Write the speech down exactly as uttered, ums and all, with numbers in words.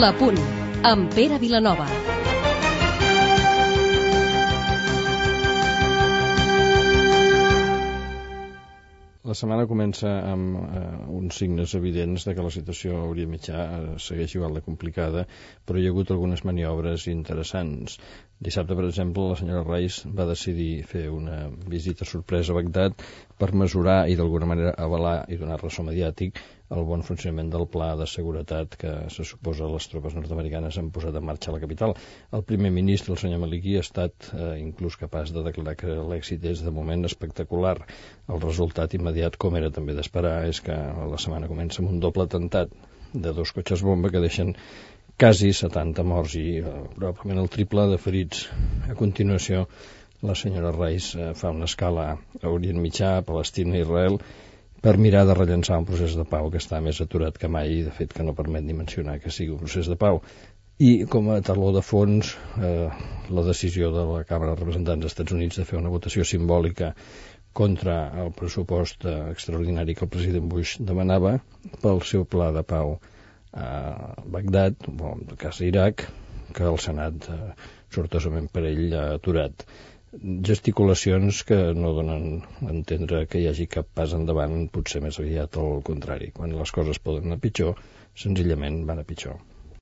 L'Apunt, amb Pere Vilanova. La setmana comença amb eh, uns signes evidents de que la situació a Orient Mitjà eh, segueix igual de complicada, però hi ha hagut algunes maniobres interessants. Dissabte, per exemple, la senyora Reis va decidir fer una visita sorpresa a Bagdad per mesurar i d'alguna manera avalar i donar ressò mediàtic el bon funcionament del pla de seguretat que se suposa les tropes nord-americanes han posat en marxa a la capital. El primer ministre, el senyor Maliki, ha estat eh, inclús capaç de declarar que l'èxit és de moment espectacular. El resultat immediat, com era també d'esperar, és que la setmana comença amb un doble atemptat de dos cotxes bomba que deixen quasi setanta morts i eh, probablement el triple de ferits. A continuació, la senyora Reis eh, fa una escala a Orient Mitjà, a Palestina i Israel, per mirar de rellençar un procés de pau que està més aturat que mai i, de fet, que no permet ni mencionar que sigui un procés de pau. I, com a taló de fons, eh, la decisió de la Càmera de Representants dels Estats Units de fer una votació simbòlica contra el pressupost eh, extraordinari que el president Bush demanava pel seu pla de pau a Bagdad, o en el cas Iraq, que el Senat, eh, sortosament per ell, ha aturat. Gesticulacions que no donen a entendre que hi hagi cap pas endavant, potser més aviat al contrari. Quan les coses poden anar pitjor, senzillament van a pitjor.